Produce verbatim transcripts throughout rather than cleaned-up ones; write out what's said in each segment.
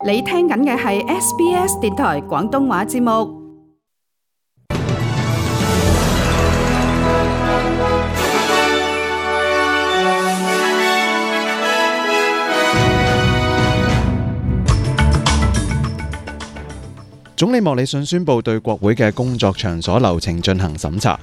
你聽緊嘅係 S B S 電台廣東話節目。總理莫里遜宣布對國會嘅工作場所流程進行審查。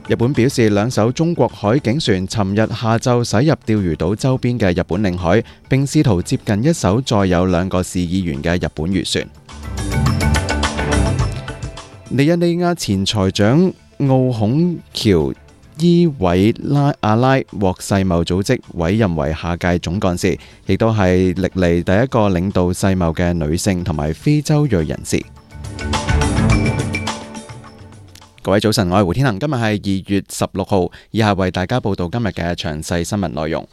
日本表示，兩艘中國海警船尋日下晝駛入釣魚島周邊嘅日本領海，並試圖接近一艘載有兩個市議員嘅日本漁船。尼日利亞前財長奧孔喬伊韋拉阿拉獲世貿組織委任為下屆總幹事，亦都係歷嚟第一個領導世貿嘅女性同埋非洲裔人士。各位早晨，我係胡天恒，今日係二月十六號，以下為大家報道今日嘅詳細新聞內容。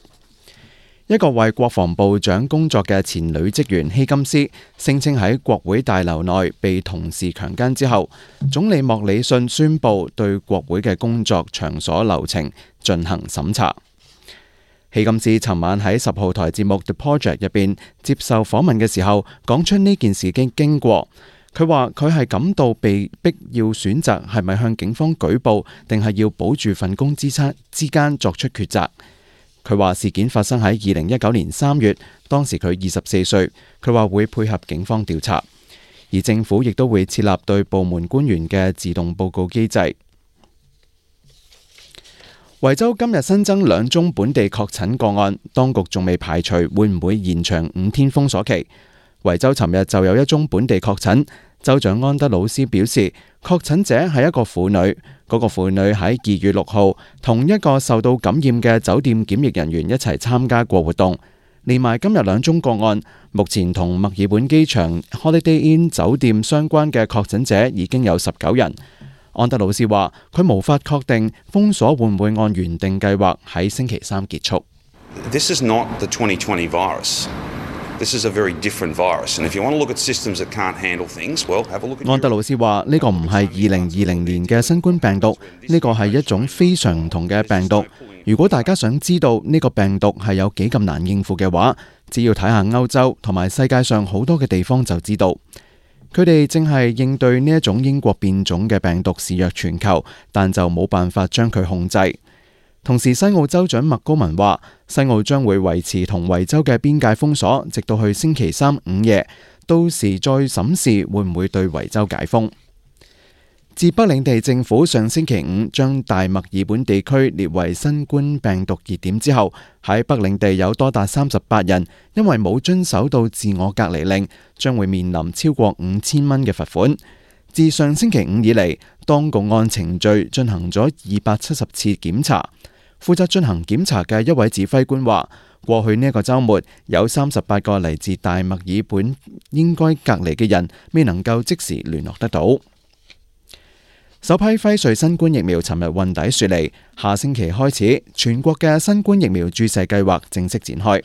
一個為國防部長工作嘅前女職員希金斯聲稱喺國會大樓內被同事強姦之後，總理莫里遜宣布對國會嘅工作場所流程進行審查。希金斯尋晚喺十號台節目 The Project 入邊接受訪問嘅時候，講出呢件事嘅經過。佢話佢係感到被逼要選擇係咪向警方舉報，定係要保住份工之差之間作出抉擇。佢話事件發生喺二零一九年三月，當時佢二十四歲。佢話會配合警方調查，而政府亦都會設立對部門官員嘅自動報告機制。維州今日新增兩宗本地確診個案，當局仲未排除會唔會延長五天封鎖期。維州尋日就有一宗本地確診，州長安德魯斯表示，確診者係一個婦女，嗰個婦女喺二月六號同一個受到感染嘅酒店檢疫人員一齊參加過活動，連埋今日兩宗個案，目前同墨爾本機場 Holiday Inn 酒店相關嘅確診者已經有十九人。安德魯斯話，佢無法確定封鎖會唔會按原定計劃喺星期三結束。This is not the twenty twenty virus. This is a very different virus, and if you want to look at systems that can't handle things, well, have a look at. 安德魯斯話：呢個唔係二零二零年嘅新冠病毒，呢個係一種非常唔同嘅病毒。如果大家想知道呢個病毒係有幾咁難應付嘅話，只要睇下歐洲同埋世界上好多嘅地方就知道。佢哋正係應對呢一種英國變種嘅病毒肆虐全球，但就冇辦法將佢控制。同時，西澳州長麥高文話，西澳將會維持同維州嘅邊界封鎖，直到去星期三午夜，到時再審視會唔會對維州解封。自北領地政府上星期五將大墨爾本地區列為新冠病毒熱點之後，喺北領地有多達三十八人因為冇遵守到自我隔離令，將會面臨超過五千蚊嘅罰款。自上星期五以嚟，當局按程序進行咗二百七十次檢查。負責進行檢查嘅一位指揮官話，過去呢一個週末有三十八個嚟自大墨爾本應該隔離嘅人未能夠即時聯絡得到。首批輝瑞新冠疫苗尋日運抵雪梨，下星期開始全國嘅新冠疫苗注射計劃正式展開。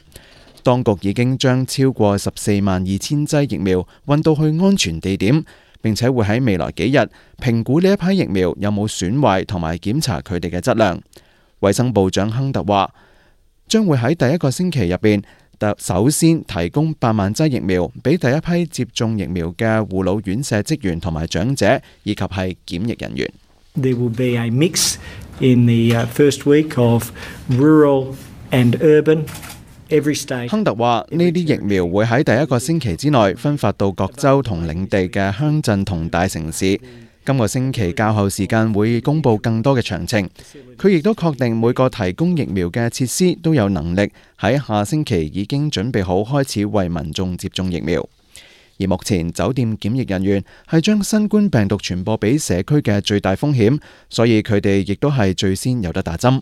當局已經將超過十四萬二千劑疫苗運到去安全地點，並且會喺未來幾日評估呢一批疫苗有冇損壞同埋檢查佢哋嘅質量。衛生部長亨特話，將會喺第一個星期入邊，首先提供八萬劑疫苗俾第一批接種疫苗嘅護老院舍職員同埋長者，以及係檢疫人員。There will be a mix in the first week of rural and urban. Every state. 亨特話，呢啲疫苗會喺第一個星期之內分發到各州同領地嘅鄉鎮同大城市。今個星期較後時間會公布更多嘅詳情。佢亦都確定每個提供疫苗嘅設施都有能力喺下星期已經準備好開始為民眾接種疫苗。而目前酒店檢疫人員係將新冠病毒傳播俾社區嘅最大風險，所以佢哋亦都係最先有得打針。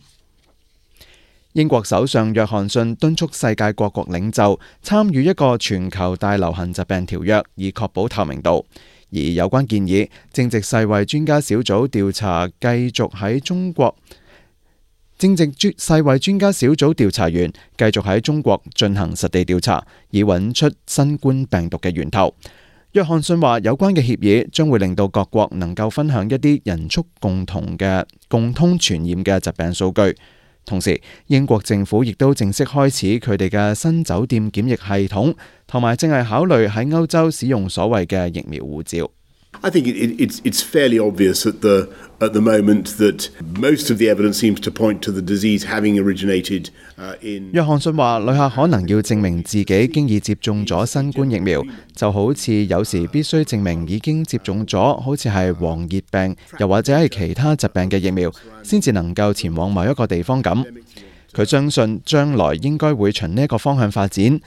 英國首相約翰遜敦促世界各國領袖參與一個全球大流行疾病條約，以確保透明度。而有關建議正值世衛專家小組調查繼續喺中國，正值世衛專家小組調查員繼續喺中國進行實地調查，以揾出新冠病毒嘅源頭。約翰遜話，有關嘅協議將會令到各國能夠分享一啲人畜共同嘅共通傳染嘅疾病數據。同時，英國政府亦都正式開始佢哋嘅新酒店檢疫系統，同埋正係考慮喺歐洲使用所謂嘅疫苗護照。I think it, it, it's, it's fairly obvious at the, at the moment that most of the evidence seems to point to the disease having originated uh, in... 約翰遜話：旅客可能要證明自己經已接種咗新冠疫苗，就好似有時必須證明已經接種咗好似係黃熱病，又或者係其他疾病嘅疫苗，先至能夠前往某一個地方咁。佢相信將來應該會循呢一個方向發展。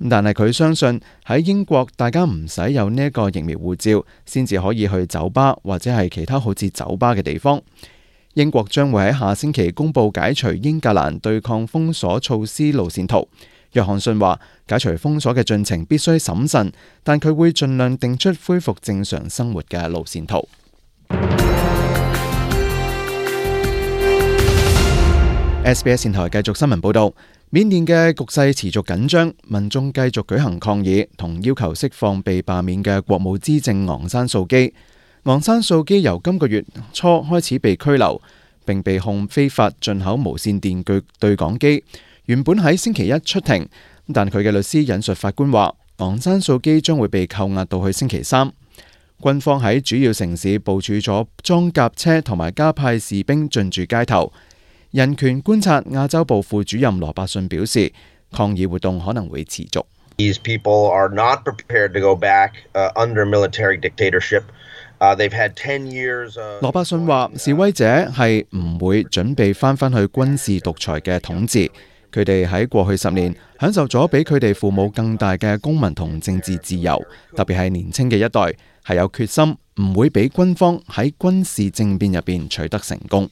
但係佢相信喺英國，大家唔使有呢一個疫苗護照，先至可以去酒吧或者係其他好似酒吧嘅地方。英國將會喺下星期公布解除英格蘭對抗封鎖措施路線圖。約翰遜話：解除封鎖嘅進程必須審慎，但佢會盡量定出恢復正常生活嘅路線圖。S B S 電台繼續新聞報導。緬甸嘅局勢持續緊張，民眾繼續舉行抗議，同要求釋放被罷免嘅國務資政昂山素基。昂山素基由今個月初開始被拘留，並被控非法進口無線電據對講機。原本喺星期一出庭，但佢嘅律師引述法官話，昂山素基將會被扣押到去星期三。軍方喺主要城市部署咗裝甲車同埋加派士兵進駐街頭。人權觀察亞洲部副主任羅伯遜表示，抗議活動可能會持續。These people are not prepared to go back under military dictatorship. They've had ten years. 羅伯遜話，示威者係唔會準備翻返去軍事獨裁嘅統治。佢哋喺過去十年享受咗比佢哋父母更大嘅公民同政治自由，特別係年輕嘅一代係有決心，唔會俾軍方喺軍事政變入邊取得成功。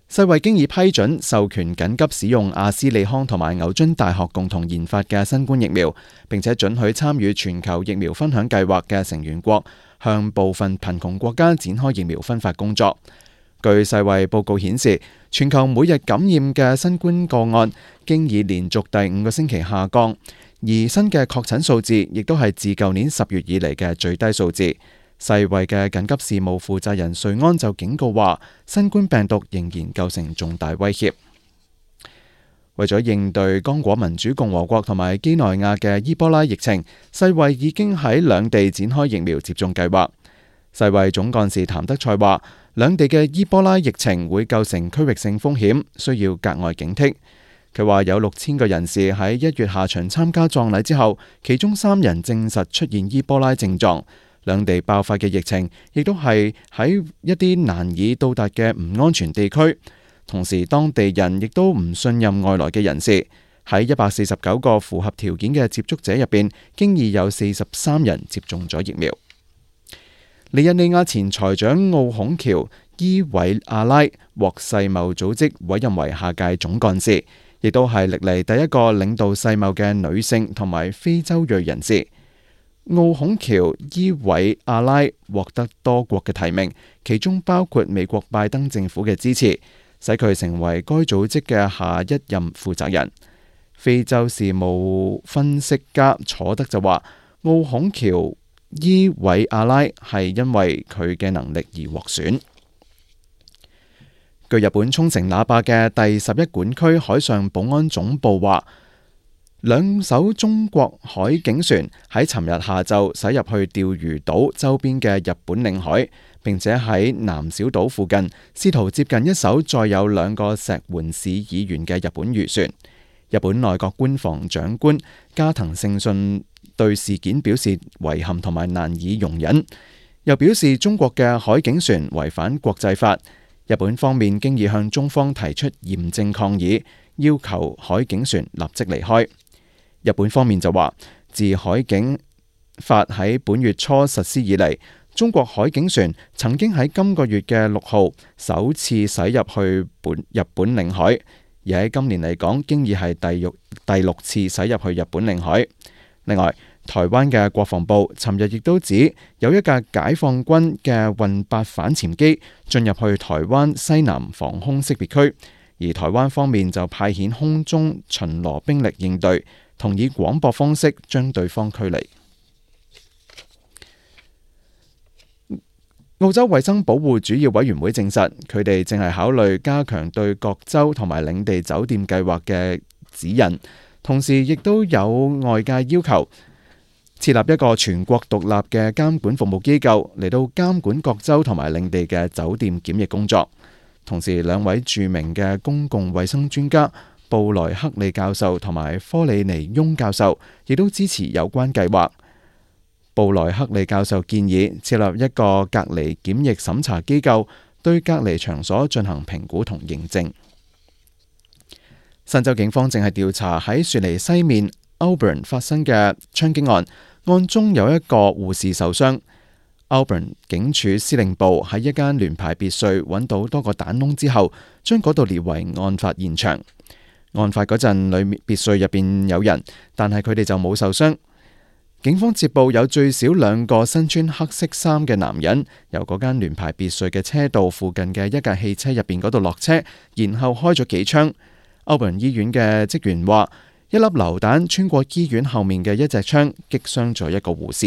世衛經已批准授權緊急使用阿斯利康同埋牛津大學共同研發嘅新冠疫苗，並且准許參與全球疫苗分享計劃嘅成員國向部分貧窮國家展開疫苗分發工作。據世衛報告顯示，全球每日感染嘅新冠個案經已連續第五個星期下降，而新嘅確診數字亦都係自舊年十月以嚟嘅最低數字。世衛嘅緊急事務負責人瑞安就警告話，新冠病毒仍然構成重大威脅。為咗應對剛果民主共和國同埋幾內亞嘅伊波拉疫情，世衛已經喺兩地展開疫苗接種計劃。世衛總幹事譚德塞話，兩地嘅伊波拉疫情會構成區域性風險，需要格外警惕。佢話有六千個人士喺一月下旬參加葬禮之後，其中三人證實出現伊波拉症狀。兩地爆發嘅疫情亦都係喺一啲難以到達嘅唔安全地區，同時當地人亦都唔信任外來嘅人士。喺一百四十九個符合條件嘅接觸者入邊，經已有四十三人接種咗疫苗。尼日利亞前財長奧孔喬伊韋阿拉獲世貿組織委任為下屆總幹事，亦都係歷嚟第一個領導世貿嘅女性同埋非洲裔人士。奧孔喬伊韋阿拉獲得多國嘅提名，其中包括美國拜登政府嘅支持，使佢成為該組織嘅下一任負責人。非洲事務分析家楚德就話，奧孔喬伊韋阿拉係因為佢嘅能力而獲選。據日本沖繩那霸嘅第十一管區海上保安總部話，兩艘中國海警船喺尋日下晝駛入去釣魚島周邊嘅日本領海，並且喺南小島附近試圖接近一艘載有兩個石垣市議員嘅日本漁船。日本內閣官房長官加藤勝信對事件表示遺憾同埋難以容忍，又表示中國嘅海警船違反國際法。日本方面經已向中方提出嚴正抗議，要求海警船立即離開。日本方面就話，自海警法喺本月初實施以嚟，中國海警船曾經喺今個月嘅六號首次駛入去本日本領海，而喺今年嚟講，經已係第六第六次駛入去日本領海。另外，台灣嘅國防部尋日亦都指有一架解放軍嘅運八反潛機進入去台灣西南防空識別區，而台灣方面就派遣空中巡邏兵力應對，同以廣播方式將對方驅離。澳洲衛生保護主要委員會證實，佢哋正係考慮加強對各州同埋領地酒店計劃嘅指引，同時亦都有外界要求設立一個全國獨立嘅監管服務機構嚟到監管各州同埋領地嘅酒店檢疫工作。同時，兩位著名嘅公共衛生專家布萊克利教授同埋科里尼翁教授亦都支持有關計劃。布萊克利教授建議設立一個隔離檢疫審查機構，對隔離場所進行評估同認證。新州警方正係調查喺雪梨西面 Auburn 發生嘅槍擊案，案中有一個護士受傷。Auburn 警署司令部喺一間聯排別墅揾到多個彈窿之後，將嗰度列為案發現場。案發嗰陣，裏面別墅入邊有人，但係佢哋就冇受傷。警方接報有最少兩個身穿黑色衫嘅男人由嗰間聯排別墅嘅車道附近嘅一架汽車入邊嗰度落車，然後開咗幾槍。Auburn 醫院嘅職員話，一粒榴彈穿過醫院後面嘅一隻窗，擊傷咗一個護士。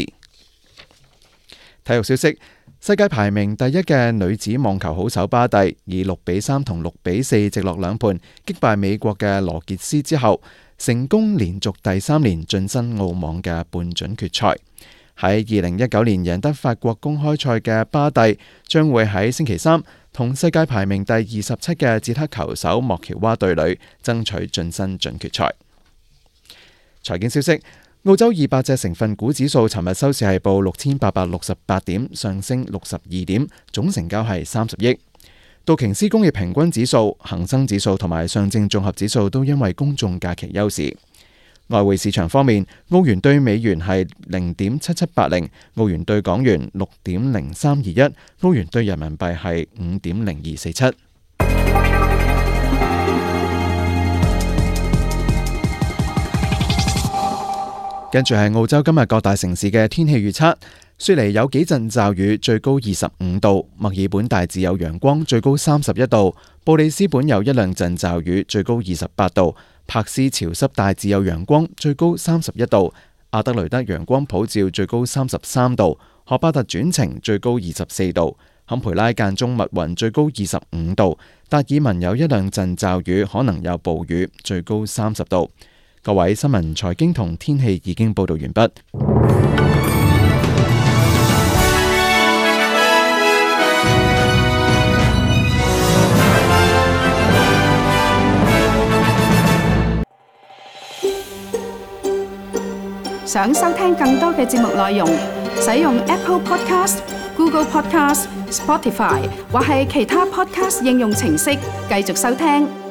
體育消息：世界排名第一嘅女子網球好手巴蒂以六比三同六比四直落兩盤擊敗美國嘅羅傑斯之後，成功連續第三年晉身澳網嘅半準決賽。喺二零一九年贏得法國公開賽嘅巴蒂將會喺星期三同世界排名第二十七嘅捷克球手莫喬娃對壘，爭取晉身準決賽。財經消息：澳洲二百隻成分股指數尋日收市係報六千八百六十八點，上升六十二點，總成交係三十億。道瓊斯工業平均指數、恒生指數同埋上證綜合指數都因為公眾假期休市。外匯市場方面，澳元對美元係零點七七八零，澳元對港元六點零三二一，澳元對人民幣係五點零二四七。跟住係澳洲今日各大城市嘅天氣預測。雪梨有幾陣驟雨，最高二十五度；墨爾本大致有陽光，最高三十一度；布里斯本有一兩陣驟雨，最高二十八度；柏斯潮濕大致有陽光，最高三十一度；阿德雷德陽光普照，最高三十三度；荷巴特轉晴，最高二十四度；坎培拉間中密雲，最高二十五度；達爾文有一兩陣驟雨，可能有暴雨，最高三十度。各位，新聞、財經同天氣已經報道完畢。想收聽更多嘅節目內容，使用 Apple Podcast、Google Podcast、Spotify 或係其他 Podcast 應用程式繼續收聽。